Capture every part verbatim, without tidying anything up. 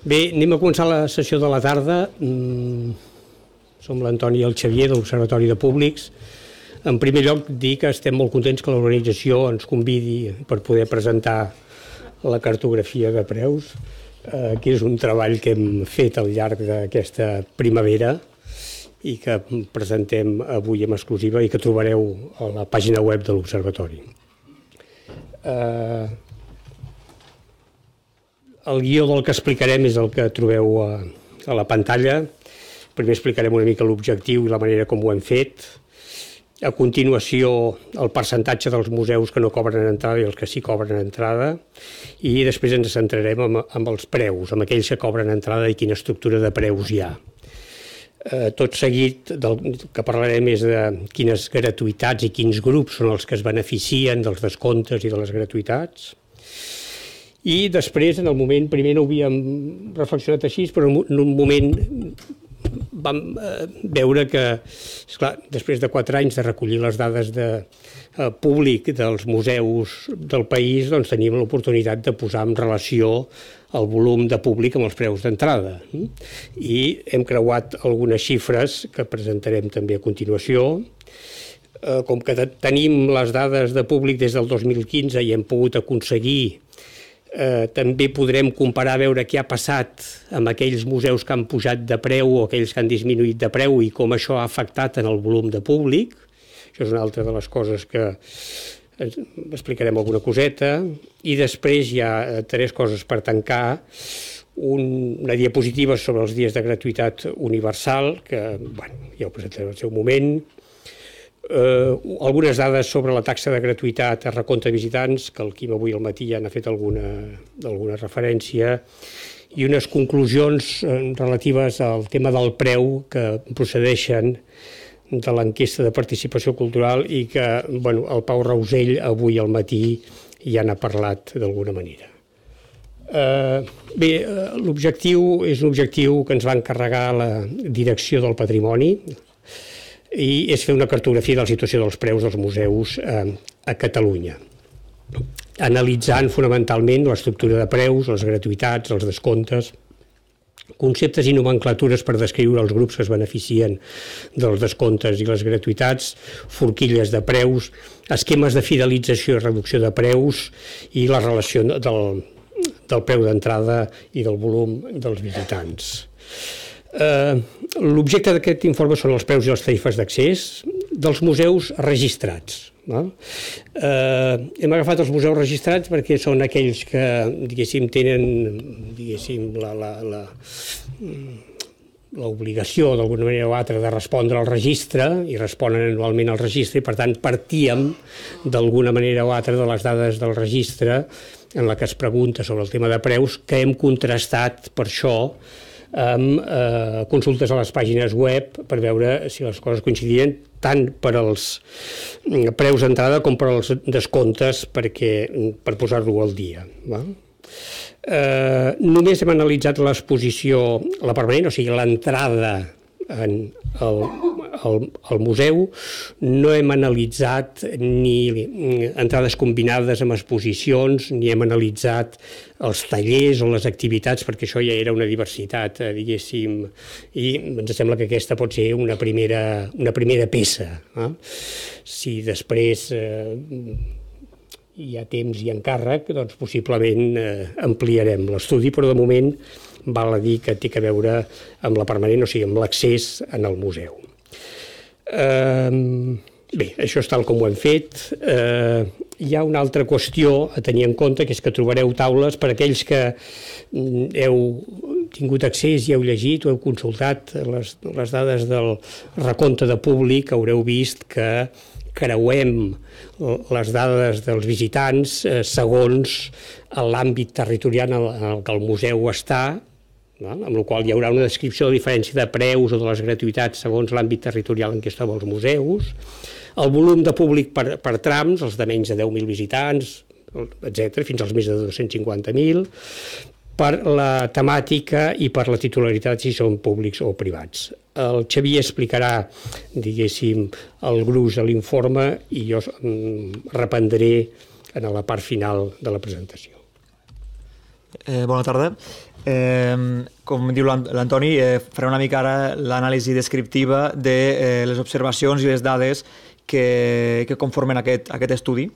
Bé, anem a començar la sessió de la tarda. Som l'Antoni i el Xavier de l'Observatori de Públics. En primer lloc, dir que estem molt contents que l'organització ens convidi per poder presentar la cartografia de preus, que és un treball que hem fet al llarg d'aquesta primavera i que presentem avui en exclusiva i que trobareu a la pàgina web de l'Observatori. El guió del que explicarem és el que trobeu a, a la pantalla. Primer explicarem una mica l'objectiu i la manera com ho hem fet. A continuació, el percentatge dels museus que no cobren entrada i els que sí cobren entrada. I després ens centrarem amb, amb els preus, amb aquells que cobren entrada i quina estructura de preus hi ha. Eh, tot seguit, del que parlarem és de quines gratuïtats i quins grups són els que es beneficien dels descomptes i de les gratuïtats. I després, en el moment, primer no ho havíem reflexionat així, però en un moment vam veure que, esclar, després de quatre anys de recollir les dades de eh, públic dels museus del país, doncs teníem l'oportunitat de posar en relació el volum de públic amb els preus d'entrada. I hem creuat algunes xifres que presentarem també a continuació. Eh, com que tenim les dades de públic des del dos mil quinze i hem pogut aconseguir Eh, també podrem comparar, veure què ha passat amb aquells museus que han pujat de preu o aquells que han disminuït de preu i com això ha afectat en el volum de públic. Això és una altra de les coses que explicarem alguna coseta. I després hi ha tres coses per tancar. Un, una diapositiva sobre els dies de gratuïtat universal, que bueno, ja ho presentaré al seu moment. Uh, algunes dades sobre la taxa de gratuïtat a recompte de visitants, que el Quim avui al matí ja n'ha fet alguna, alguna referència, i unes conclusions uh, relatives al tema del preu que procedeixen de l'enquesta de participació cultural i que bueno, el Pau Rausell avui al matí ja n'ha parlat d'alguna manera. Uh, bé, uh, l'objectiu és un objectiu que ens va encarregar la Direcció del Patrimoni, i és fer una cartografia de la situació dels preus dels museus eh, a Catalunya, analitzant fonamentalment l'estructura de preus, les gratuïtats, els descomptes, conceptes i nomenclatures per descriure els grups que es beneficien dels descomptes i les gratuïtats, forquilles de preus, esquemes de fidelització i reducció de preus i la relació del, del preu d'entrada i del volum dels visitants. Uh, l'objecte d'aquest informe són els preus i les tarifes d'accés dels museus registrats. No? Uh, hem agafat els museus registrats perquè són aquells que, diguéssim, tenen diguéssim, la, la, la, l'obligació d'alguna manera o altra de respondre al registre i responen anualment al registre i per tant partíem d'alguna manera o altra de les dades del registre en la que es pregunta sobre el tema de preus que hem contrastat per això amb eh, consultes a les pàgines web per veure si les coses coincidien tant per als preus d'entrada com per als descomptes perquè, per posar-lo al dia. Va? Eh, només hem analitzat l'exposició, la permanent, o sigui, l'entrada en el, el, el museu, no hem analitzat ni entrades combinades amb exposicions, ni hem analitzat els tallers o les activitats, perquè això ja era una diversitat, eh, diguéssim, i ens sembla que aquesta pot ser una primera, una primera peça. Eh? Si després eh, hi ha temps i encàrrec, doncs possiblement eh, ampliarem l'estudi, però de moment val a dir que té a veure amb la permanent, o sigui, amb l'accés en el museu. Eh, bé, això és tal com ho hem fet. Eh, hi ha una altra qüestió a tenir en compte, que és que trobareu taules per aquells que heu tingut accés i heu llegit o heu consultat les, les dades del recompte de públic, haureu vist que creuem les dades dels visitants eh, segons l'àmbit territorial en el que el museu està, no? Amb la qual hi haurà una descripció de diferència de preus o de les gratuïtats segons l'àmbit territorial en què es troben els museus, el volum de públic per, per trams, els de menys de deu mil visitants, etcètera, fins als més de dos-cents cinquanta mil, per la temàtica i per la titularitat, si són públics o privats. El Xavier explicarà, diguéssim, el gruix de l'informe i jo reprendré en la part final de la presentació. Eh, bona tarda. Eh, com diu l'Antoni, eh, faré una mica ara l'anàlisi descriptiva de eh, les observacions i les dades que, que conformen aquest, aquest estudi.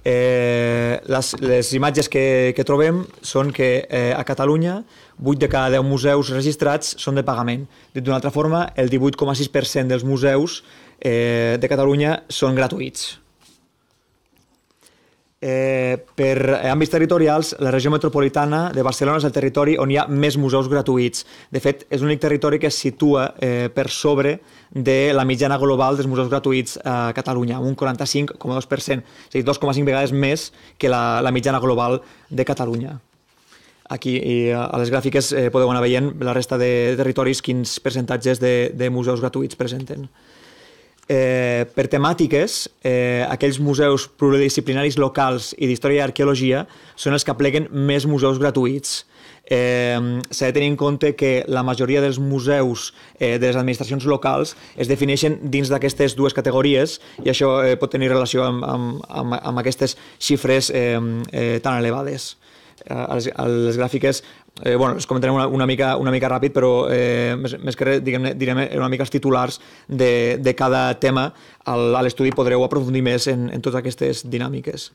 Eh, les, les imatges que, que trobem són que eh, a Catalunya vuit de cada deu museus registrats són de pagament. Dit d'una altra forma, el divuit coma sis per cent dels museus eh, de Catalunya són gratuïts. Eh, per àmbits territorials, la regió metropolitana de Barcelona és el territori on hi ha més museus gratuïts. De fet, és l'únic territori que es situa eh, per sobre de la mitjana global dels museus gratuïts a Catalunya, un quaranta-cinc coma dos per cent, és a dir, dos coma cinc vegades més que la, la mitjana global de Catalunya. Aquí i a les gràfiques eh, podeu anar veient la resta de territoris quins percentatges de, de museus gratuïts presenten. Eh, per temàtiques, eh, aquells museus pluridisciplinaris locals i d'història i arqueologia són els que apleguen més museus gratuïts. Eh, S'ha de tenir en compte que la majoria dels museus eh, de les administracions locals es defineixen dins d'aquestes dues categories i això eh, pot tenir relació amb, amb, amb, amb aquestes xifres eh, eh, tan elevades. A les, a les gràfiques, eh, bueno, les comentarem una, una, mica, una mica ràpid, però eh, més, més que res, diguem, direm una mica els titulars de, de cada tema. Al, a l'estudi podreu aprofundir més en, en totes aquestes dinàmiques.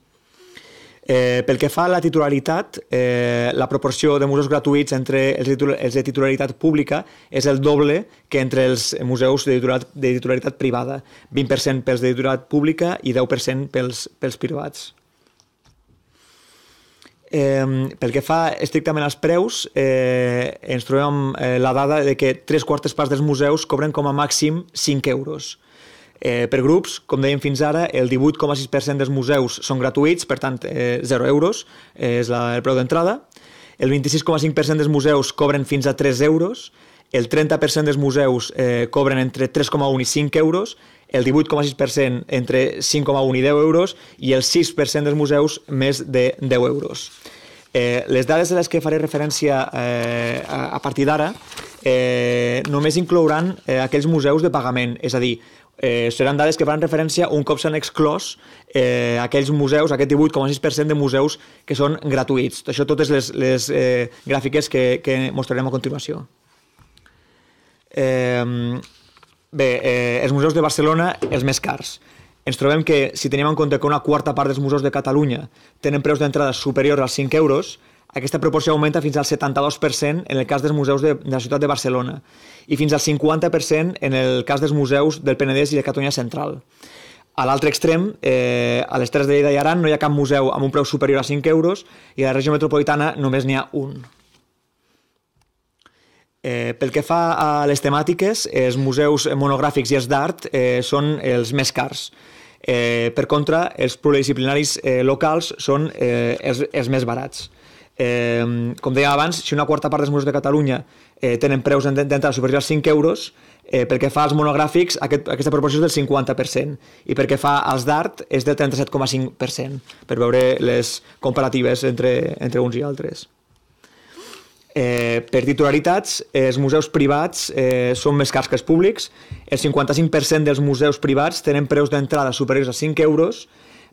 Eh, pel que fa a la titularitat, eh, la proporció de museus gratuïts entre els, titular, els de titularitat pública és el doble que entre els museus de titularitat, de titularitat privada. vint per cent pels de titularitat pública i deu per cent pels, pels privats. Eh, pel que fa estrictament als preus, eh, ens trobem amb eh, la dada de que tres quartes parts dels museus cobren com a màxim cinc euros. Eh, per grups, com dèiem fins ara, el divuit coma sis per cent dels museus són gratuïts, per tant, eh, zero euros eh, és la, el preu d'entrada. El vint-i-sis coma cinc per cent dels museus cobren fins a tres euros, el trenta per cent dels museus eh, cobren entre tres coma un i cinc euros, el divuit coma sis per cent entre cinc coma un i deu euros i el sis per cent dels museus més de deu euros. Eh, les dades a les que faré referència eh, a, a partir d'ara eh, només inclouran eh, aquells museus de pagament, és a dir, eh, seran dades que faran referència un cop s'han exclòs eh, aquells museus, aquest divuit coma sis per cent de museus que són gratuïts. Això totes les, les eh, gràfiques que, que mostrarem a continuació. Eh, Bé, eh, els museus de Barcelona, els més cars. Ens trobem que, si tenim en compte que una quarta part dels museus de Catalunya tenen preus d'entrada superiors als cinc euros, aquesta proporció augmenta fins al setanta-dos per cent en el cas dels museus de, de la ciutat de Barcelona i fins al cinquanta per cent en el cas dels museus del Penedès i de Catalunya Central. A l'altre extrem, eh, a les Terres de Lleida i Aran, no hi ha cap museu amb un preu superior a cinc euros i a la regió metropolitana només n'hi ha un. Eh, pel que fa a les temàtiques, els museus monogràfics i els d'art eh, són els més cars. Eh, per contra, els pluridisciplinaris eh, locals són eh, els, els més barats. Eh, com dèiem abans, si una quarta part dels museus de Catalunya eh, tenen preus d'entrada superiors als cinc euros, eh, pel que fa als monogràfics, aquest, aquesta proporció és del cinquanta per cent, i pel que fa als d'art és del trenta-set coma cinc per cent, per veure les comparatives entre, entre uns i altres. Eh, per titularitats, els museus privats eh, són més cars que els públics. El cinquanta-cinc per cent dels museus privats tenen preus d'entrada superiors a cinc euros,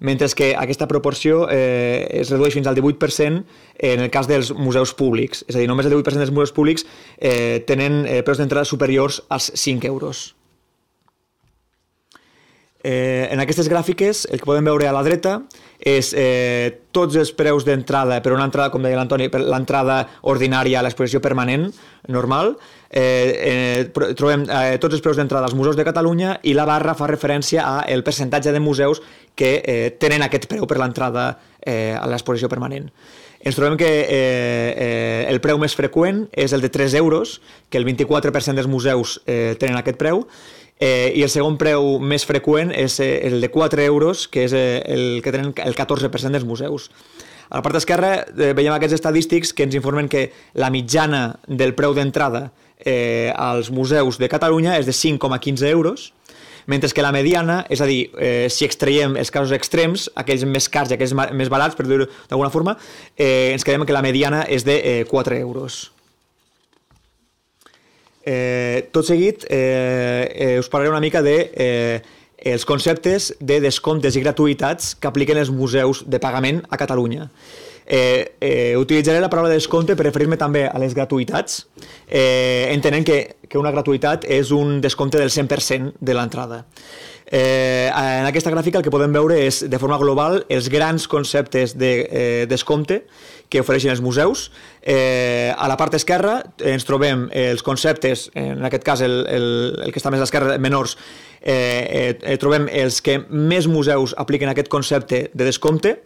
mentre que aquesta proporció eh, es redueix fins al divuit per cent en el cas dels museus públics. És a dir, només el divuit per cent dels museus públics eh, tenen eh, preus d'entrada superiors als cinc euros. Eh, en aquestes gràfiques, el que podem veure a la dreta és eh, tots els preus d'entrada per una entrada, com deia l'Antoni, per l'entrada ordinària a l'exposició permanent, normal. Eh, eh, trobem eh, tots els preus d'entrada als museus de Catalunya i la barra fa referència al percentatge de museus que eh, tenen aquest preu per l'entrada eh, a l'exposició permanent. Ens trobem que eh, eh, el preu més freqüent és el de tres euros, que el vint-i-quatre per cent dels museus eh, tenen aquest preu, Eh, i el segon preu més freqüent és eh, el de quatre euros, que és eh, el que tenen el catorze per cent dels museus. A la part esquerra eh, veiem aquests estadístics que ens informen que la mitjana del preu d'entrada eh, als museus de Catalunya és de cinc coma quinze euros, mentre que la mediana, és a dir, eh, si extraiem els casos extrems, aquells més cars i aquells més barats, per dir-ho d'alguna forma, eh, ens quedem que la mediana és de eh, quatre euros. Eh, tot seguit eh, eh, us parlaré una mica de eh, els conceptes de descomptes i gratuïtats que apliquen els museus de pagament a Catalunya. Eh, eh, utilitzaré la paraula descompte per referir-me també a les gratuïtats, eh, entenent que, que una gratuïtat és un descompte del cent per cent de l'entrada. Eh, en aquesta gràfica el que podem veure és, de forma global, els grans conceptes de eh, descompte que ofereixen els museus. Eh, a la part esquerra ens trobem els conceptes, en aquest cas el, el, el que està més a l'esquerra, menors, eh, eh, trobem els que més museus apliquen aquest concepte de descompte.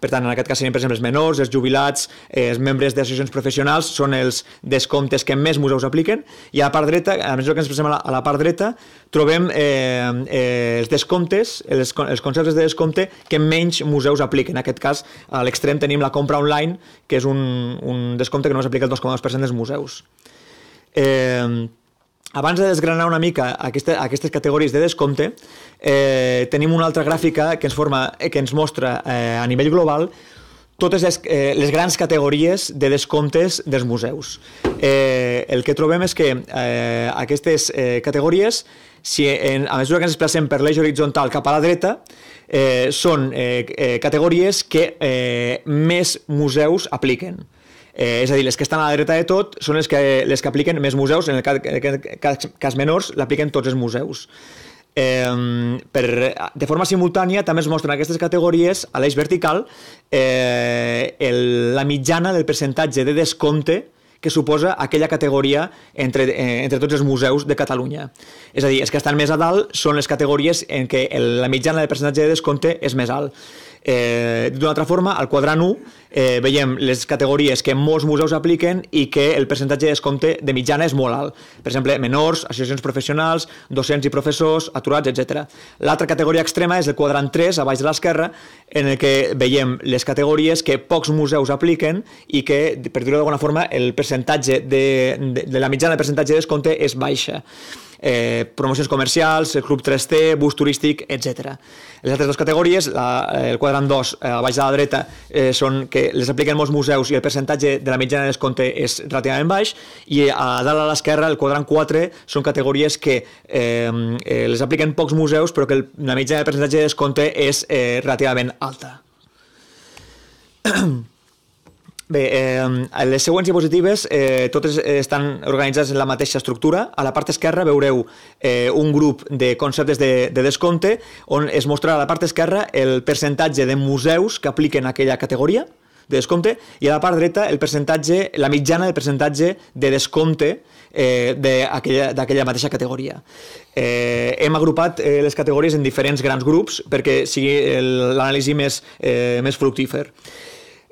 Per tant, en aquest cas serien, per exemple, els menors, els jubilats, eh, els membres d'associacions professionals, són els descomptes que més museus apliquen. I a la part dreta, a mesura que ens expressem a la, a la part dreta, trobem eh, eh, els descomptes, els, els conceptes de descompte que menys museus apliquen. En aquest cas, a l'extrem tenim la compra online, que és un, un descompte que només aplica el dos coma dos per cent dels museus. Eh, Abans de desgranar una mica aquesta, aquestes categories de descompte, eh, tenim una altra gràfica que ens, forma, que ens mostra eh, a nivell global totes les, eh, les grans categories de descomptes dels museus. Eh, el que trobem és que eh, aquestes eh, categories, si en, a mesura que ens desplacem per l'eix horitzontal cap a la dreta, eh, són eh, eh, categories que eh, més museus apliquen. Eh, és a dir, les que estan a la dreta de tot són les que, les que apliquen més museus, en el cas, cas, cas menors l'apliquen tots els museus. Eh, per, de forma simultània també es mostren aquestes categories a l'eix vertical eh, el, la mitjana del percentatge de descompte que suposa aquella categoria entre, eh, entre tots els museus de Catalunya. És a dir, els que estan més a dalt són les categories en què el, la mitjana del percentatge de descompte és més alt. Eh, D'una altra forma, al quadrant u eh, veiem les categories que molts museus apliquen i que el percentatge de descompte de mitjana és molt alt. Per exemple, menors, associacions professionals, docents i professors, aturats, etcètera. L'altra categoria extrema és el quadrant tres, a baix de l'esquerra, en el que veiem les categories que pocs museus apliquen i que, per dir-ho d'alguna forma, el percentatge de, de, de la mitjana de percentatge de descompte és baixa. Eh, promocions comercials, el club tres T, bus turístic, etcètera. Les altres dues categories, la, el quadrant dos, a baix de la dreta, eh, són que les apliquen molts museus i el percentatge de la mitjana de descompte és relativament baix, i a dalt a l'esquerra, el quadrant quatre, són categories que eh, eh, les apliquen pocs museus, però que el, la mitjana de percentatge de descompte és eh, relativament alta. Bé, eh, les següents diapositives eh, totes estan organitzades en la mateixa estructura. A la part esquerra veureu eh, un grup de conceptes de, de descompte on es mostrarà a la part esquerra el percentatge de museus que apliquen aquella categoria de descompte i a la part dreta el percentatge, la mitjana del percentatge de descompte eh, d'aquella mateixa categoria. Eh, hem agrupat eh, les categories en diferents grans grups perquè sigui l'anàlisi més, eh, més fructífer.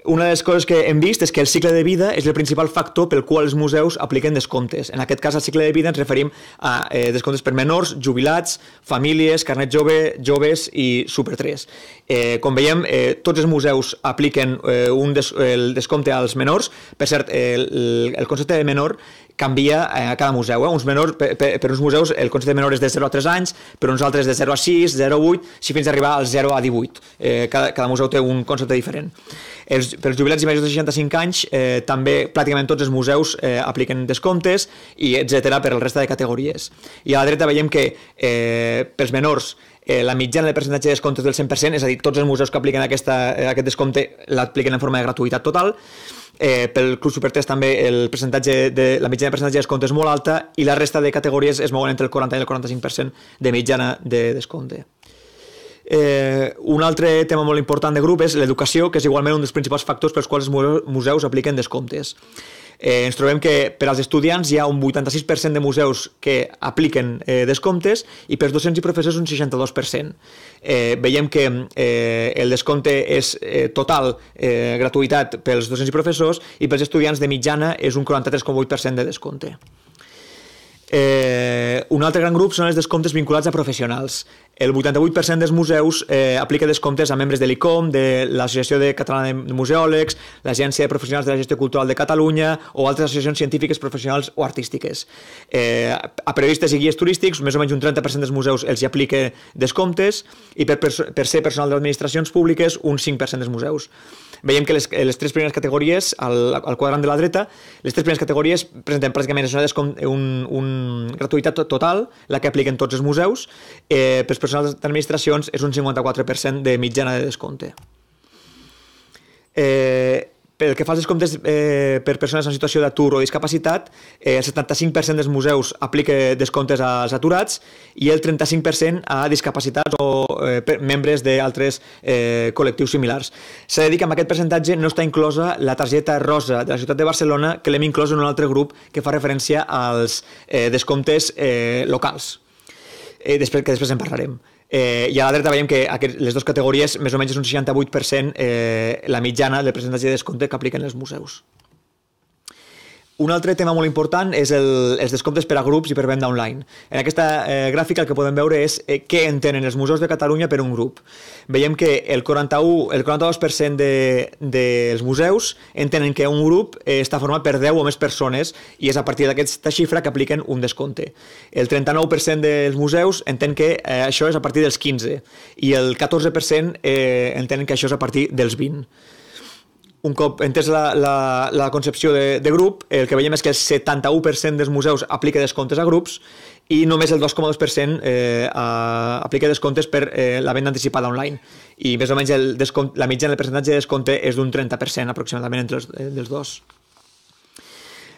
Una de les coses que hem vist és que el cicle de vida és el principal factor pel qual els museus apliquen descomptes. En aquest cas, al cicle de vida ens referim a eh, descomptes per menors, jubilats, famílies, carnet jove, joves i Super tres. Eh, com veiem, eh, tots els museus apliquen eh, un des, el descompte als menors. Per cert, eh, el, el concepte de menor canvia a cada museu. Eh? Uns menors, per, per, per uns museus el concepte de menor és de zero a tres anys, per uns altres de zero a sis, zero a vuit, si fins a arribar al zero a divuit. Eh, cada, cada museu té un concepte diferent. Els, per als jubilats i majors de seixanta-cinc anys eh, també pràcticament tots els museus eh, apliquen descomptes i etcètera per al resta de categories. I a la dreta veiem que eh, pels menors eh, la mitjana de percentatge de descomptes del cent per cent, és a dir, tots els museus que apliquen aquesta, aquest descompte l'apliquen en forma de gratuïtat total. Eh, pel Club Super tres també el percentatge de, la mitjana de percentatge de descompte és molt alta i la resta de categories es mouen entre el quaranta i el quaranta-cinc per cent de mitjana de descompte. Eh, un altre tema molt important de grup és l'educació, que és igualment un dels principals factors pels quals els museus apliquen descomptes. Eh, ens trobem que per als estudiants hi ha un vuitanta-sis per cent de museus que apliquen eh, descomptes i per als docents i professors un seixanta-dos per cent. Eh, veiem que eh, el descompte és eh, total eh, gratuïtat pels docents i professors i pels estudiants de mitjana és un quaranta-tres coma vuit per cent de descompte. Eh, un altre gran grup són els descomptes vinculats a professionals. El vuitanta-vuit per cent dels museus eh, aplica descomptes a membres de l'I C O M, de l'Associació de Catalana de Museòlegs, l'Agència de Professionals de la Gestió Cultural de Catalunya o altres associacions científiques, professionals o artístiques. Eh, a periodistes i guies turístics, més o menys un trenta per cent dels museus els hi aplica descomptes i per, per ser personal d'administracions públiques un cinc per cent dels museus. Veiem que les, les tres primeres categories, al, al quadrant de la dreta, les tres primeres categories presenten pràcticament una, un, un gratuïtat total, la que apliquen tots els museus. Eh, pels personals d'administracions és un cinquanta-quatre per cent de mitjana de descompte. Eh, pel que fa als descomptes eh, per persones en situació d'atur o discapacitat, eh, el setanta-cinc per cent dels museus aplica descomptes als aturats i el trenta-cinc per cent a discapacitats o eh, membres d'altres eh, col·lectius similars. S'ha de dir que amb aquest percentatge no està inclosa la targeta rosa de la ciutat de Barcelona, que l'hem inclòs en un altre grup que fa referència als eh, descomptes eh, locals, eh, després, que després en parlarem. Eh, I a la dreta veiem que aquest, les dues categories més o menys és un seixanta-vuit per cent eh, la mitjana del percentatge de descompte que apliquen els museus. Un altre tema molt important és el, els descomptes per a grups i per venda online. En aquesta eh, gràfica el que podem veure és eh, què entenen els museus de Catalunya per un grup. Veiem que el quaranta-u, el quaranta-dos per cent de, dels museus entenen que un grup eh, està format per deu o més persones i és a partir d'aquesta xifra que apliquen un descompte. El trenta-nou per cent dels museus entenen que eh, això és a partir dels quinze i el catorze per cent eh, entenen que això és a partir dels vint. Un cop entès la, la, la concepció de, de grup, el que veiem és que el setanta-u per cent dels museus aplica descomptes a grups i només el dos coma dos per cent eh, aplica descomptes per eh, la venda anticipada online. I més o menys el descompte, la mitjana del percentatge de descompte és d'un trenta per cent aproximadament entre els, eh, dels dos.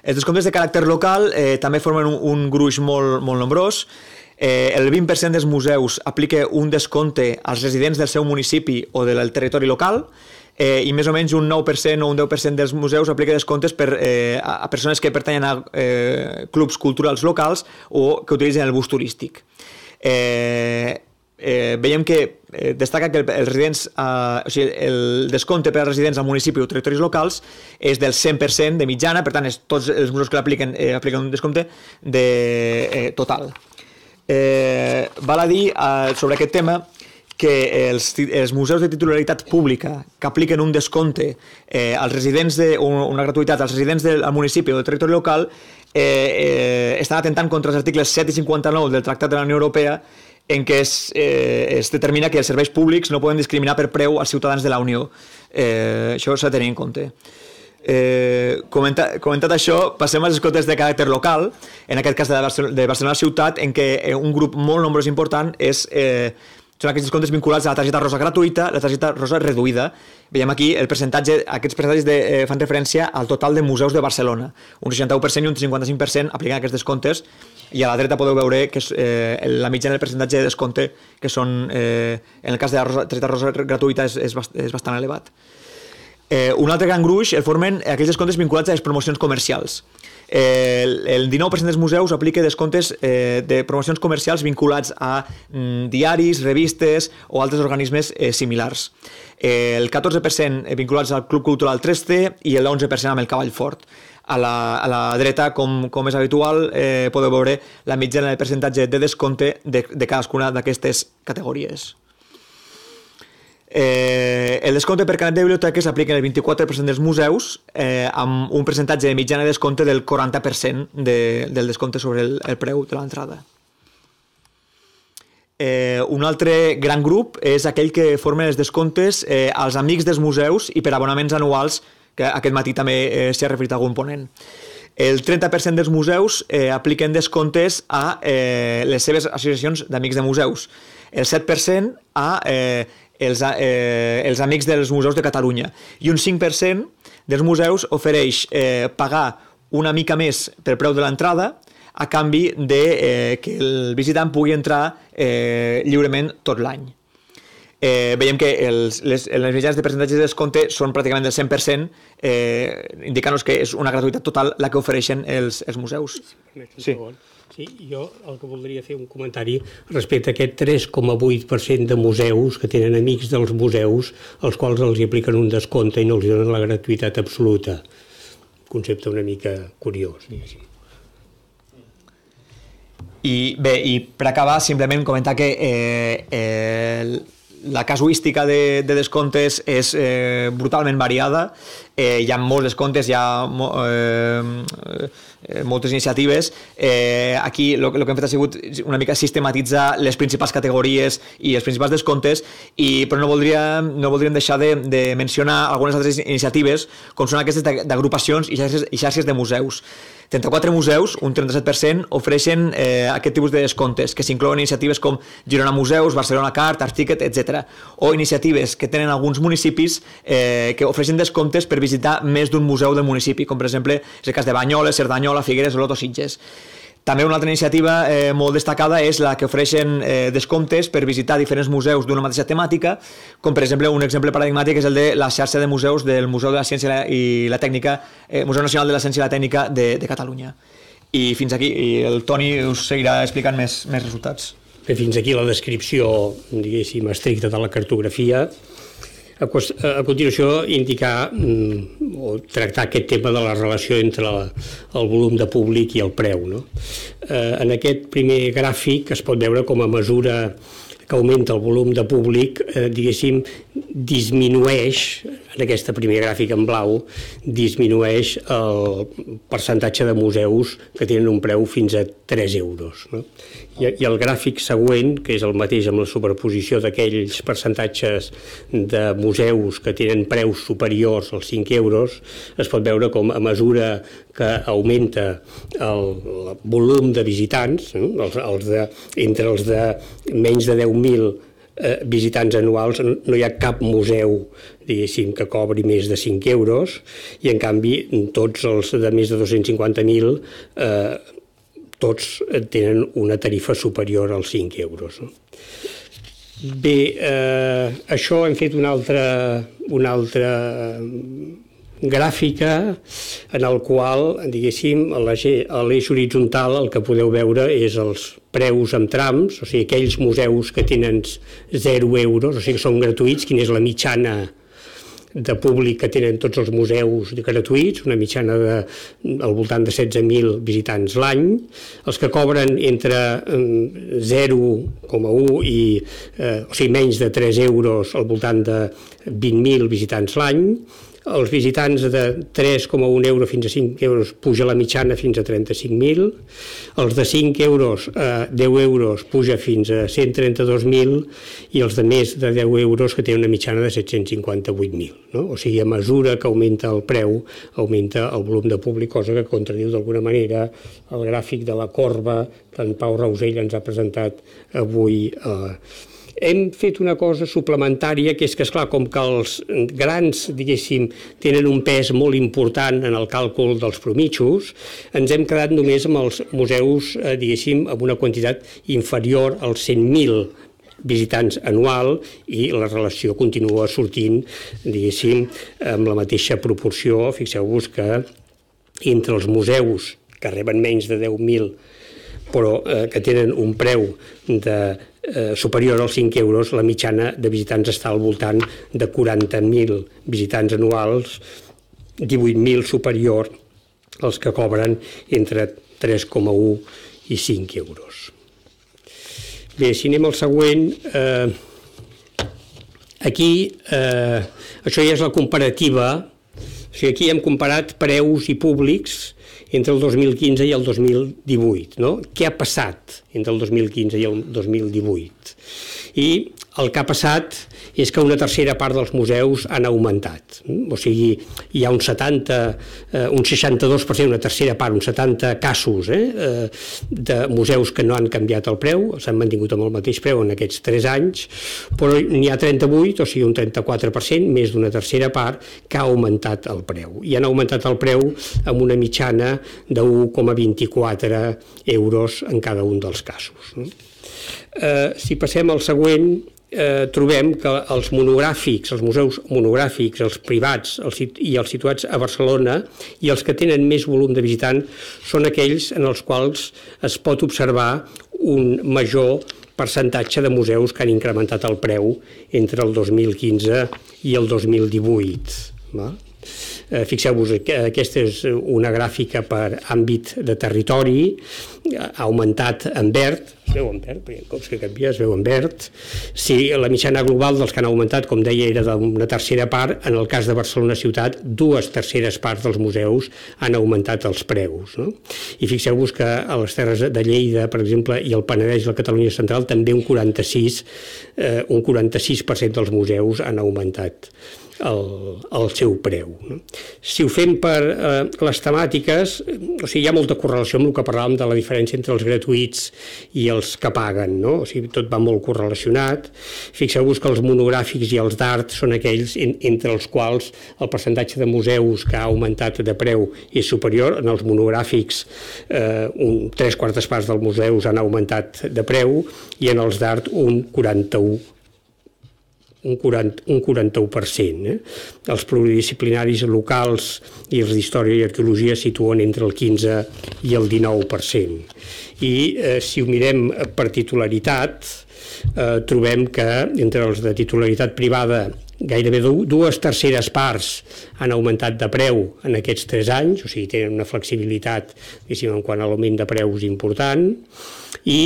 Els descomptes de caràcter local eh, també formen un, un gruix molt, molt nombrós. Eh, el vint per cent dels museus aplica un descompte als residents del seu municipi o del territori local, Eh, i més o menys un nou per cent o un deu per cent dels museus aplica descomptes per, eh, a persones que pertanyen a eh, clubs culturals locals o que utilitzen el bus turístic. Eh, eh, veiem que eh, destaca que el, els residents, eh, o sigui, el descompte per als residents al municipi o territoris locals és del cent per cent de mitjana, per tant, és, tots els museus que l'apliquen eh, apliquen un descompte de, eh, total. Eh, val a dir eh, sobre aquest tema que els, els museus de titularitat pública que apliquen un descompte eh, als residents de, o una gratuïtat als residents del municipi o del territori local eh, eh, estan atentant contra els articles set i cinquanta-nou del Tractat de la Unió Europea en què es, eh, es determina que els serveis públics no poden discriminar per preu als ciutadans de la Unió. Eh, això s'ha de tenir en compte. Eh, comentat, comentat això, passem als descomptes de caràcter local, en aquest cas de Barcelona, de Barcelona ciutat, en què un grup molt nombrós important és eh, són aquests descomptes vinculats a la targeta rosa gratuïta, la targeta rosa reduïda. Veiem aquí el percentatge, aquests percentatges de, eh, fan referència al total de museus de Barcelona. Un seixanta-u per cent i un cinquanta-cinc per cent apliquen aquests descomptes i a la dreta podeu veure que és, eh, la mitjana del percentatge de descompte que són, eh, en el cas de la rosa, targeta rosa gratuïta és, és, bast, és bastant elevat. Eh, un altre gran gruix el formen aquells descomptes vinculats a les promocions comercials. El, el dinou per cent dels museus aplica descomptes eh, de promocions comercials vinculats a mm, diaris, revistes o altres organismes eh, similars. Eh, el catorze per cent vinculats al Club Cultural tres C i l'onze per cent amb el Cavall Fort. A la, a la dreta, com, com és habitual, eh, podeu veure la mitjana del percentatge de descompte de, de cadascuna d'aquestes categories. Eh, el descompte per carnet de biblioteques s'aplica en el vint-i-quatre per cent dels museus eh, amb un percentatge de mitjana de descompte del quaranta per cent de, del descompte sobre el, el preu de l'entrada. Eh, un altre gran grup és aquell que formen els descomptes eh, als amics dels museus i per abonaments anuals, que aquest matí també eh, s'hi ha referit algun ponent. El trenta per cent dels museus eh, apliquen descomptes a eh, les seves associacions d'amics de museus. El set per cent a eh, els, eh, els amics dels museus de Catalunya. I un cinc per cent dels museus ofereix eh, pagar una mica més per preu de l'entrada a canvi de eh, que el visitant pugui entrar eh, lliurement tot l'any. Eh, veiem que els, les, les mitjans de percentatges de descompte són pràcticament del cent per cent, eh, indicant-nos que és una gratuïtat total la que ofereixen els, els museus. Sí. Sí, jo el que voldria fer un comentari respecte a aquest tres coma vuit per cent de museus que tenen amics dels museus als quals els apliquen un descompte i no els donen la gratuïtat absoluta. Concepte una mica curiós, diguéssim. I bé, i per acabar, simplement comentar que eh, eh, la casuística de, de descomptes és eh, brutalment variada. Eh, hi ha molts descomptes, hi ha mo, eh, eh, moltes iniciatives. Eh, aquí el que hem fet ha sigut una mica sistematitzar les principals categories i els principals descomptes, i, però no voldríem, no voldríem deixar de, de mencionar algunes altres iniciatives, com són aquestes d'agrupacions i xarxes, i xarxes de museus. trenta-quatre museus, un trenta-set per cent, ofereixen eh, aquest tipus de descomptes, que s'inclouen iniciatives com Girona Museus, Barcelona Cart, Articket, etcètera. O iniciatives que tenen alguns municipis eh, que ofereixen descomptes per visitar més d'un museu del municipi, com per exemple és el cas de Banyoles, Cerdanyola, Figueres, Olot o Sitges. També una altra iniciativa eh, molt destacada és la que ofereixen eh, descomptes per visitar diferents museus d'una mateixa temàtica, com per exemple un exemple paradigmàtic és el de la xarxa de museus del Museu de la Ciència i la Tècnica, eh, Museu Nacional de la Ciència i la Tècnica de, de Catalunya. I fins aquí, i el Toni us seguirà explicant més, més resultats. Bé, fins aquí la descripció, diguéssim, estricta de la cartografia. A, a continuació, indicar mm, o tractar aquest tema de la relació entre la, el volum de públic i el preu. No? Eh, en aquest primer gràfic es pot veure com a mesura que augmenta el volum de públic, eh, diguéssim, disminueix, en aquesta primera gràfica en blau, disminueix el percentatge de museus que tenen un preu fins a tres euros. No? I, I el gràfic següent, que és el mateix amb la superposició d'aquells percentatges de museus que tenen preus superiors als cinc euros, es pot veure com a mesura que augmenta el, el volum de visitants, no? els, els de, entre els de menys de deu mil eh, visitants anuals no hi ha cap museu, diguéssim, que cobri més de cinc euros, i en canvi tots els de més de dos-cents cinquanta mil eh, tots tenen una tarifa superior als cinc euros. No? Bé, eh, això hem fet una altra, una altra gràfica en el qual, diguéssim, a l'eix horitzontal el que podeu veure és els preus amb trams, o sigui, aquells museus que tenen zero euros, o sigui, que són gratuïts, quina és la mitjana de públic que tenen tots els museus gratuïts, una mitjana de, al voltant de setze mil visitants l'any, els que cobren entre zero coma un i eh, o sigui, menys de tres euros al voltant de vint mil visitants l'any, els visitants de tres coma un euro fins a cinc euros puja la mitjana fins a trenta-cinc mil, els de cinc euros a deu euros puja fins a cent trenta-dos mil i els de més de deu euros que tenen una mitjana de set-cents cinquanta-vuit mil. No? O sigui, a mesura que augmenta el preu, augmenta el volum de públic, cosa que contradiu d'alguna manera el gràfic de la corba que en Pau Rausell ens ha presentat avui eh, hem fet una cosa suplementària, que és que, esclar, com que els grans, diguéssim, tenen un pes molt important en el càlcul dels promitjos, ens hem quedat només amb els museus, eh, diguéssim, amb una quantitat inferior als cent mil visitants anual, i la relació continua sortint, diguéssim, amb la mateixa proporció. Fixeu-vos que entre els museus que reben menys de deu mil però eh, que tenen un preu de, eh, superior als cinc euros, la mitjana de visitants està al voltant de quaranta mil visitants anuals, divuit mil superior als que cobren entre tres coma un i cinc euros. Bé, si anem al següent, eh, aquí, eh, això ja és la comparativa, o sigui, aquí hem comparat preus i públics entre el dos mil quinze i el dos mil divuit. No? Què ha passat entre el dos mil quinze i el dos mil divuit? I el que ha passat és que una tercera part dels museus han augmentat. O sigui, hi ha un setanta, eh, un seixanta-dos per cent, una tercera part, uns setanta casos eh, de museus que no han canviat el preu, s'han mantingut amb el mateix preu en aquests tres anys, però n'hi ha trenta-vuit, o sigui, un trenta-quatre per cent, més d'una tercera part, que ha augmentat el preu. I han augmentat el preu amb una mitjana d'un coma vint-i-quatre euros en cada un dels casos. No? Eh, si passem al següent, eh, trobem que els monogràfics, els museus monogràfics, els privats els, i els situats a Barcelona i els que tenen més volum de visitants són aquells en els quals es pot observar un major percentatge de museus que han incrementat el preu entre el dos mil quinze i el dos mil divuit. Va? Eh, Fixeu-vos, aquesta és una gràfica per àmbit de territori, ha augmentat en verd, es veu en verd, perquè cops que canvia es veu en verd. Si la mitjana global dels que han augmentat, com deia, era d'una tercera part, en el cas de Barcelona ciutat, dues terceres parts dels museus han augmentat els preus. No? I fixeu-vos que a les Terres de Lleida, per exemple, i el Penedès i la Catalunya central, també un quaranta-sis, eh, un quaranta-sis per cent dels museus han augmentat el, el seu preu. No? Si ho fem per eh, les temàtiques, o sigui, hi ha molta correlació amb el que parlàvem de la diferència entre els gratuïts i els que paguen, no? O sigui, tot va molt correlacionat. Fixeu-vos que els monogràfics i els d'art són aquells en, entre els quals el percentatge de museus que ha augmentat de preu és superior. En els monogràfics eh, un, tres quartes parts dels museus han augmentat de preu i en els d'art un quaranta-u un quaranta-u per cent. Eh? Els pluridisciplinaris locals i els d'història i arqueologia situen entre el quinze i el dinou per cent. I eh, si ho mirem per titularitat, eh, trobem que entre els de titularitat privada gairebé dues terceres parts han augmentat de preu en aquests tres anys, o sigui, tenen una flexibilitat, diguéssim, en quant a l'augment de preus important, i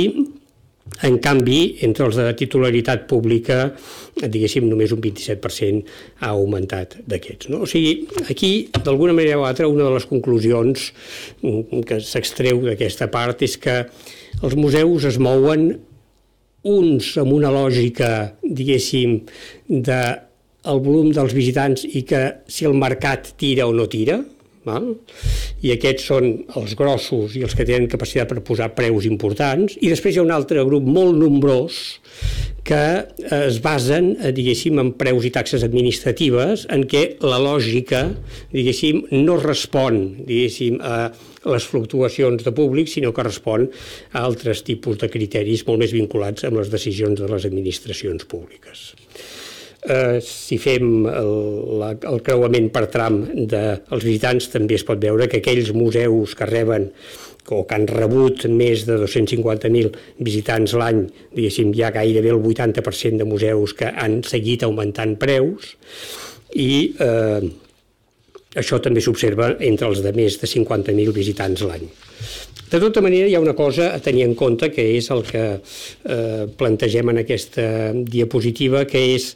en canvi, entre els de titularitat pública, diguéssim, només un vint-i-set per cent ha augmentat d'aquests. No? O sigui, aquí, d'alguna manera o altra, una de les conclusions que s'extreu d'aquesta part és que els museus es mouen uns amb una lògica, diguéssim, del volum dels visitants i que si el mercat tira o no tira, val? I aquests són els grossos i els que tenen capacitat per posar preus importants, i després hi ha un altre grup molt nombrós que es basen, diguéssim, en preus i taxes administratives en què la lògica, diguéssim, no respon, diguéssim, a les fluctuacions de públic, sinó que respon a altres tipus de criteris molt més vinculats amb les decisions de les administracions públiques. Eh, si fem el, la, el creuament per tram dels visitants, també es pot veure que aquells museus que reben o que han rebut més de dos-cents cinquanta mil visitants l'any, diguéssim, hi ha gairebé el vuitanta per cent de museus que han seguit augmentant preus, i eh, això també s'observa entre els de més de cinquanta mil visitants l'any. De tota manera, hi ha una cosa a tenir en compte, que és el que eh, plantegem en aquesta diapositiva, que és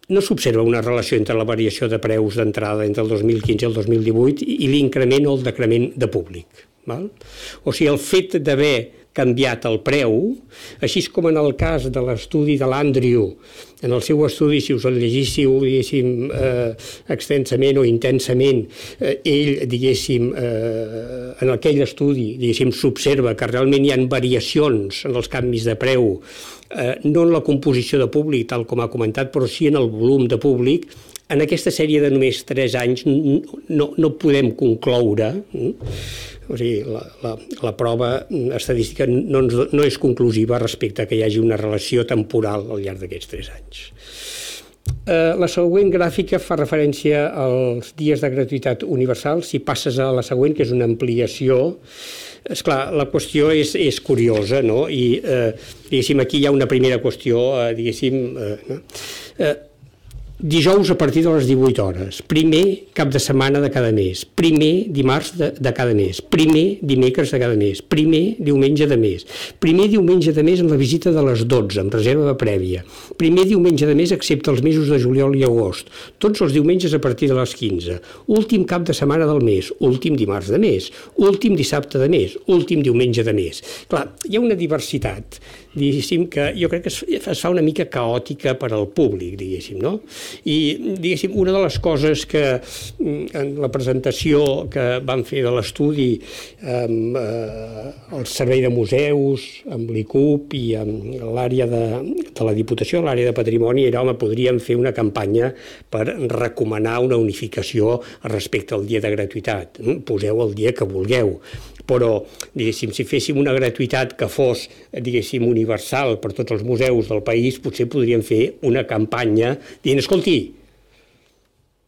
no s'observa una relació entre la variació de preus d'entrada entre el dos mil quinze i el dos mil divuit i l'increment o el decrement de públic. Val? O sigui, el fet d'haver canviat el preu, així com en el cas de l'estudi de l'Andrew, en el seu estudi, si us el llegíssiu, diguéssim, eh, extensament o intensament, eh, ell, diguéssim, eh, en aquell estudi, diguéssim, s'observa que realment hi ha variacions en els canvis de preu, eh, no en la composició de públic, tal com ha comentat, però sí en el volum de públic. En aquesta sèrie de només tres anys no, no podem concloure, eh? O sigui, la, la, la prova estadística no, no és conclusiva respecte a que hi hagi una relació temporal al llarg d'aquests tres anys. Eh, la següent gràfica fa referència als dies de gratuïtat universal. Si passes a la següent, que és una ampliació, esclar, la qüestió és, és curiosa, no? I, eh, diguéssim, aquí hi ha una primera qüestió, eh, diguéssim, eh, no? eh, dijous a partir de les divuit hores, primer cap de setmana de cada mes, primer dimarts de, de cada mes, primer dimecres de cada mes, primer diumenge de mes, primer diumenge de mes en la visita de les dotze, amb reserva prèvia, primer diumenge de mes excepte els mesos de juliol i agost, tots els diumenges a partir de les quinze, últim cap de setmana del mes, últim dimarts de mes, últim dissabte de mes, últim diumenge de mes. Clar, hi ha una diversitat, diguéssim, que jo crec que es, es fa una mica caòtica per al públic, diguéssim, no? I, diguéssim, una de les coses que en la presentació que van fer de l'estudi amb eh, el Servei de Museus, amb l'I C U P i amb l'àrea de, de la Diputació, l'àrea de Patrimoni, era, home, podríem fer una campanya per recomanar una unificació respecte al dia de gratuïtat. Poseu el dia que vulgueu. Però, diguéssim, si féssim una gratuïtat que fos, diguéssim, universal per tots els museus del país, potser podríem fer una campanya dient, escolti,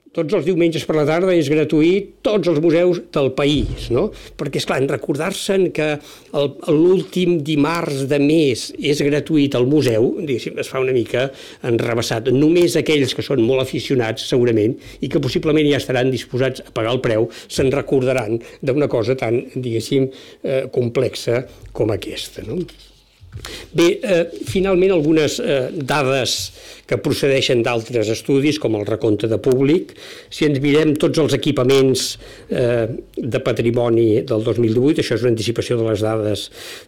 tots els diumenges per la tarda és gratuït, tots els museus del país, no? Perquè, esclar, en recordar-se'n que l'últim dimarts de mes és gratuït al museu, diguéssim, es fa una mica enrevessat. Només aquells que són molt aficionats, segurament, i que possiblement ja estaran disposats a pagar el preu, se'n recordaran d'una cosa tan, diguéssim, eh, complexa com aquesta, no? Bé, eh, finalment algunes eh, dades que procedeixen d'altres estudis, com el recompte de públic. Si ens mirem tots els equipaments eh, de patrimoni del dos mil divuit, això és una anticipació de les dades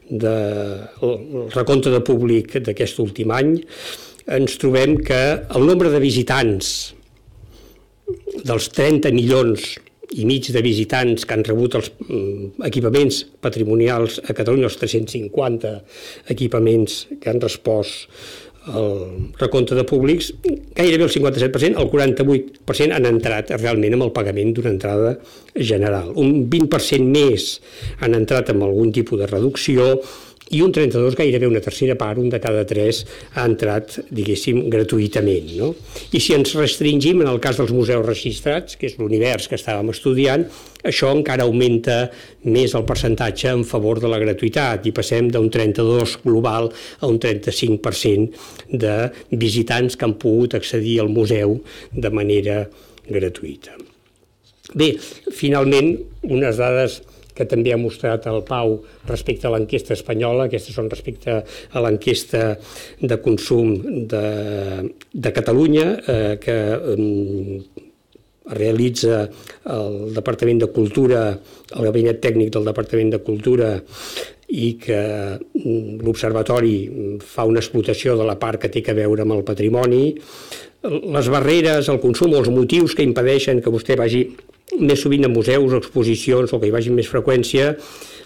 del recompte de públic d'aquest últim any, ens trobem que el nombre de visitants dels trenta milions i mig de visitants que han rebut els equipaments patrimonials a Catalunya, els tres-cents cinquanta equipaments que han respost al recompte de públics, gairebé el cinquanta-set per cent, el quaranta-vuit per cent han entrat realment amb el pagament d'una entrada general. Un vint per cent més han entrat amb algun tipus de reducció i un trenta-dos, gairebé una tercera part, un de cada tres, ha entrat, diguéssim, gratuïtament, no? I si ens restringim en el cas dels museus registrats, que és l'univers que estàvem estudiant, això encara augmenta més el percentatge en favor de la gratuïtat i passem d'un trenta-dos global a un trenta-cinc per cent de visitants que han pogut accedir al museu de manera gratuïta. Bé, finalment, unes dades que també ha mostrat el Pau respecte a l'enquesta espanyola, aquestes són respecte a l'enquesta de consum de, de Catalunya, eh, que eh, realitza el Departament de Cultura, el Gabinet Tècnic del Departament de Cultura, i que l'Observatori fa una explotació de la part que té a veure amb el patrimoni. Les barreres, el consum o els motius que impedeixen que vostè vagi més sovint a museus o exposicions o que hi vagi amb més freqüència,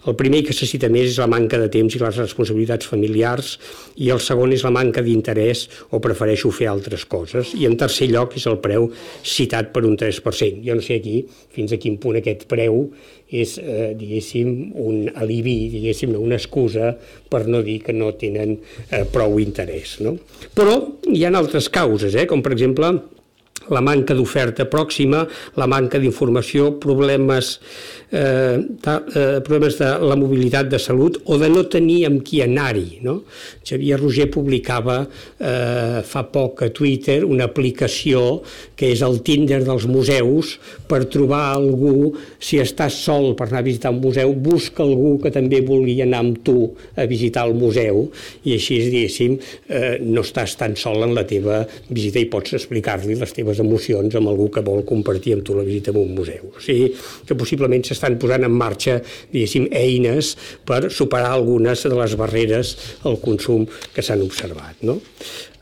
el primer que se cita més és la manca de temps i les responsabilitats familiars i el segon és la manca d'interès o prefereixo fer altres coses i en tercer lloc és el preu citat per un tres per cent. Jo no sé aquí fins a quin punt aquest preu és, eh, diguéssim, un alibi, diguéssim, una excusa per no dir que no tenen eh, prou interès, no? Però hi ha altres causes, eh, com per exemple la manca d'oferta pròxima, la manca d'informació, problemes, eh, de, eh, problemes de la mobilitat de salut o de no tenir amb qui anar-hi, no? Xavier Roger publicava eh, fa poc a Twitter una aplicació que és el Tinder dels museus per trobar algú, si estàs sol per anar a visitar un museu, busca algú que també vulgui anar amb tu a visitar el museu i així, diguéssim, eh, no estàs tan sol en la teva visita i pots explicar-li les teves emocions amb algú que vol compartir amb tu la visita a un museu. O sigui que possiblement s'estan posant en marxa, diguéssim, eines per superar algunes de les barreres al consum que s'han observat, no?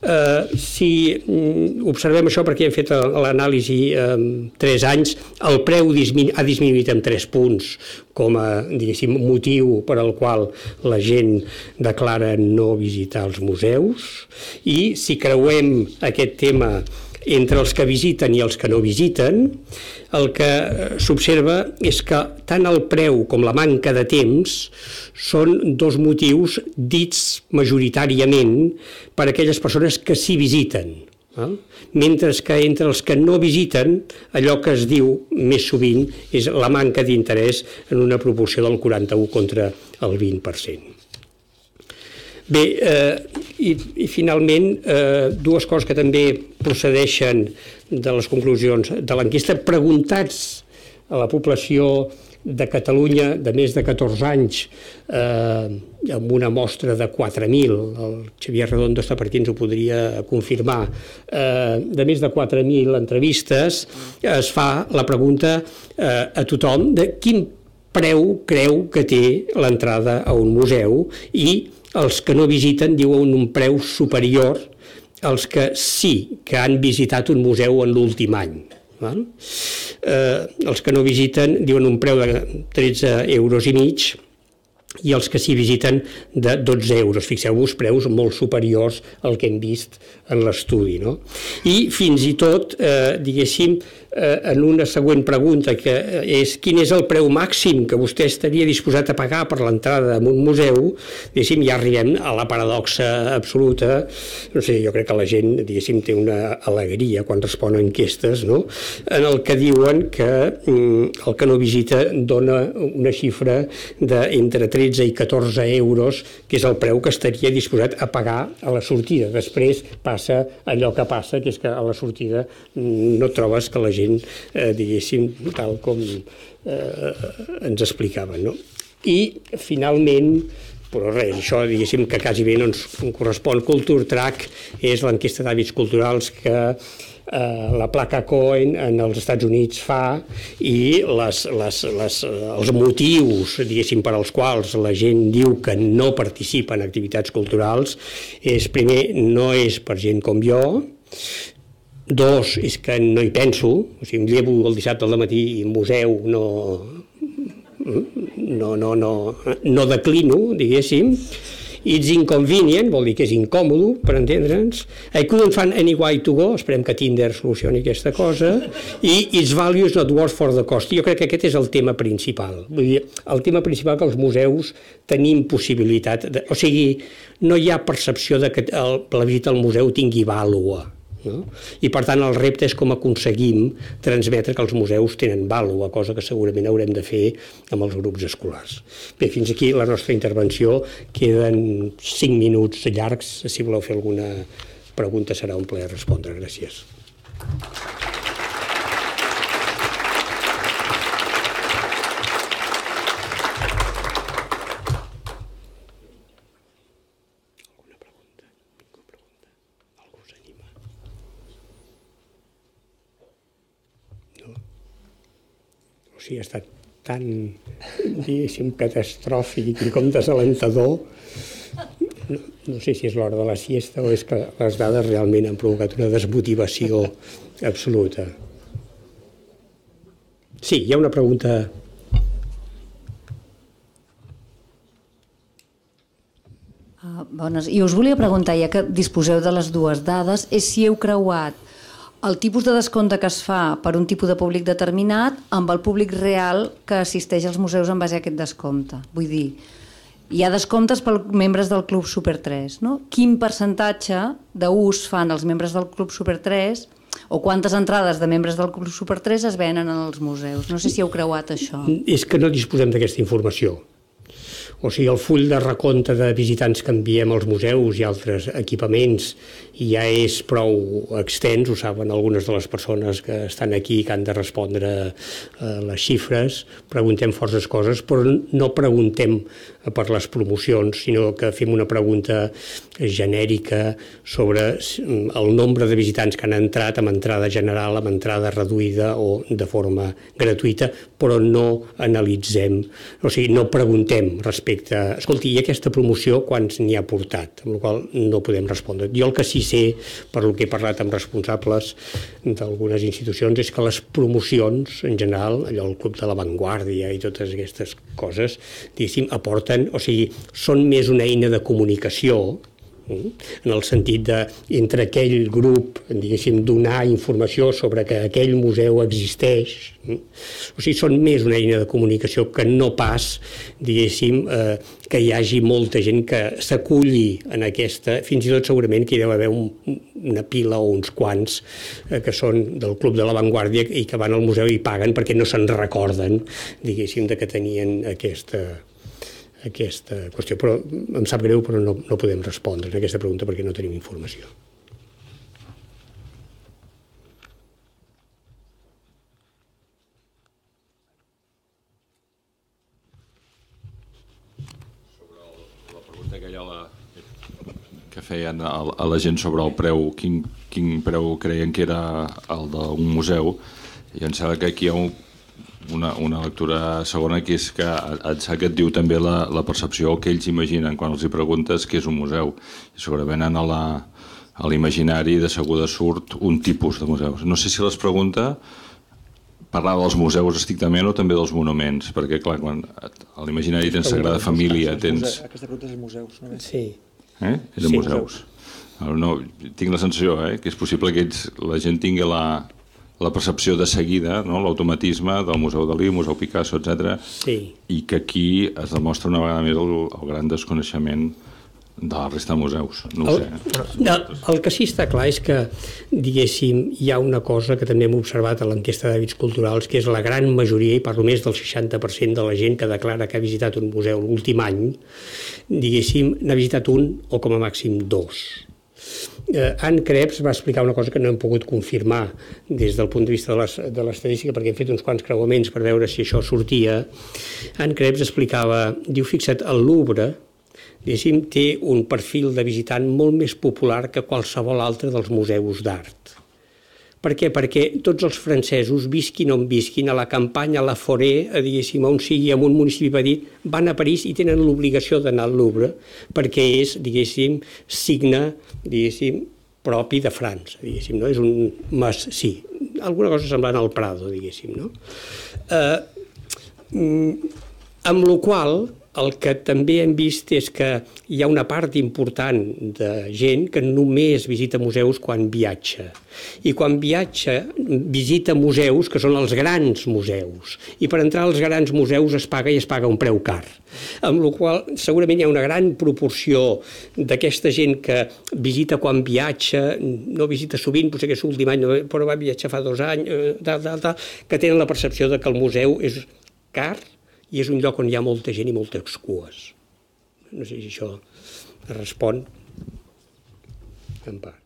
Uh, si um, observem això perquè hem fet l'anàlisi en um, tres anys, el preu disminu ha disminuït en tres punts com a, diguéssim, motiu per al qual la gent declara no visitar els museus i si creuem aquest tema entre els que visiten i els que no visiten, el que s'observa és que tant el preu com la manca de temps són dos motius dits majoritàriament per aquelles persones que sí visiten. Eh? Mentre que entre els que no visiten, allò que es diu més sovint és la manca d'interès en una proporció del quaranta-u contra el vint per cent. Bé, eh, i, i finalment, eh, dues coses que també procedeixen de les conclusions de l'enquesta. Preguntats a la població de Catalunya de més de catorze anys, eh, amb una mostra de quatre mil, el Xavier Redondo està per aquí, ens ho podria confirmar, eh, de més de quatre mil entrevistes, es fa la pregunta eh, a tothom de quin preu creu que té l'entrada a un museu i els que no visiten diuen un preu superior als que sí que han visitat un museu en l'últim any. Eh, els que no visiten diuen un preu de tretze euros i mig i els que sí visiten de dotze euros. Fixeu-vos, preus molt superiors al que hem vist en l'estudi, no? I fins i tot, eh, diguéssim, eh, en una següent pregunta, que és quin és el preu màxim que vostè estaria disposat a pagar per l'entrada en un museu, diguéssim, ja arribem a la paradoxa absoluta. No sé, jo crec que la gent, diguéssim, té una alegria quan respon a enquestes, no? En el que diuen que mm, el que no visita dona una xifra d'entre tretze i catorze euros, que és el preu que estaria disposat a pagar a la sortida. Després passa allò que passa, que és que a la sortida no trobes que la gent, eh, diguéssim, tal com eh, ens explicaven, no? I, finalment, però res, això, diguéssim, que quasi bé no ens correspon. Culture Track és l'enquesta d'hàbits culturals que eh, la placa Cohen en els Estats Units fa i les, les, les, els motius, diguéssim, per als quals la gent diu que no participa en activitats culturals és, primer, no és per gent com jo, Dos, és que no hi penso, o sigui, em llevo el dissabte al matí i museu no, no, no, no, no declino, diguéssim. It's inconvenient, vol dir que és incòmodo, per entendre'ns. I couldn't find any way to go, esperem que Tinder solucioni aquesta cosa. I its value is not worth for the cost. Jo crec que aquest és el tema principal. Vull dir, el tema principal que els museus tenim possibilitat, de, o sigui, no hi ha percepció de que el, la visita al museu tingui vàlua. No? I per tant el repte és com aconseguim transmetre que els museus tenen vàlua, cosa que segurament haurem de fer amb els grups escolars. Bé, fins aquí la nostra intervenció, queden cinc minuts llargs, si voleu fer alguna pregunta serà un plaer respondre. Gràcies. O sigui, ha estat tan, diguéssim, catastròfic i com desalentador. No, no sé si és l'hora de la siesta o és que les dades realment han provocat una desmotivació absoluta. Sí, hi ha una pregunta. Uh, bones. I us volia preguntar, ja que disposeu de les dues dades, és si heu creuat el tipus de descompte que es fa per un tipus de públic determinat amb el públic real que assisteix als museus en base a aquest descompte. Vull dir, hi ha descomptes per membres del Club Super tres, no? Quin percentatge d'ús fan els membres del Club Super tres o quantes entrades de membres del Club Super tres es venen als museus? No sé si heu creuat això. És que no disposem d'aquesta informació. O sigui, el full de recompte de visitants que enviem als museus i altres equipaments ja és prou extens, ho saben algunes de les persones que estan aquí que han de respondre a les xifres, preguntem forces coses, però no preguntem per les promocions, sinó que fem una pregunta genèrica sobre el nombre de visitants que han entrat amb entrada general, amb entrada reduïda o de forma gratuïta, però no analitzem, o sigui, no preguntem respecte a, escolti, i aquesta promoció quants n'hi ha portat, amb la qual no podem respondre. Jo el que sí sé, per el que he parlat amb responsables d'algunes institucions, és que les promocions, en general, allò el Club de la Vanguardia i totes aquestes coses, diguéssim, aporten, o sigui, són més una eina de comunicació, en el sentit de, entre aquell grup, diguéssim, donar informació sobre que aquell museu existeix. O sigui, són més una eina de comunicació que no pas, diguéssim, eh, que hi hagi molta gent que s'aculli en aquesta, fins i tot segurament que hi deu haver un, una pila o uns quants eh, que són del Club de la Vanguardia i que van al museu i paguen perquè no se'n recorden, diguéssim, de que tenien aquesta... aquesta qüestió, però em sap greu, però no, no podem respondre a aquesta pregunta perquè no tenim informació. Sobre el, la pregunta que, la, que feien a, a la gent sobre el preu, quin, quin preu creien que era el d'un museu, i em sembla que aquí hi ha un Una, una lectura segona, que és que et diu també la, la percepció que ells imaginen quan els hi preguntes què és un museu. I segurament a l'imaginari de seguida surt un tipus de museus. No sé si les pregunta parlar dels museus estrictament o també dels monuments, perquè clar, quan a l'imaginari tens Sagrada Família, tens... Aquesta pregunta és museus, no? Sí. Eh? És de sí, museus. No, tinc la sensació eh, que és possible que ells, la gent tingui la... la percepció de seguida, no? L'automatisme del Museu Dalí, Museu Picasso, etcètera. Sí. I que aquí es demostra una vegada més el, el gran desconeixement de la resta de museus. No ho el, sé. El, el que sí està clar és que, diguéssim, hi ha una cosa que també hem observat a l'enquesta d'hàbits culturals, que és la gran majoria, i parlo més del seixanta per cent de la gent que declara que ha visitat un museu l'últim any, diguéssim, n'ha visitat un o com a màxim dos. Eh, Anne Krebs va explicar una cosa que no hem pogut confirmar des del punt de vista de l'estadística, perquè hem fet uns quants creuaments per veure si això sortia. Anne Krebs explicava, diu, fixa't, el Louvre, diguéssim, té un perfil de visitant molt més popular que qualsevol altre dels museus d'art. Per què? Perquè tots els francesos, visquin on visquin, a la campanya, a la Forêt, diguéssim, on sigui, en un municipi petit, van a París i tenen l'obligació d'anar al Louvre, perquè és, diguéssim, signe, diguéssim, propi de França, diguéssim, no? És un mas, sí, alguna cosa semblant al Prado, diguéssim, no? Eh, amb la qual el que també hem vist és que hi ha una part important de gent que només visita museus quan viatja. I quan viatja visita museus que són els grans museus. I per entrar als grans museus es paga i es paga un preu car. Amb la qual segurament hi ha una gran proporció d'aquesta gent que visita quan viatja, no visita sovint, potser que és l'últim any, però va viatjar fa dos anys, tal, tal, tal, que tenen la percepció de que el museu és car i és un lloc on hi ha molta gent i moltes cues. No sé si això respon en part.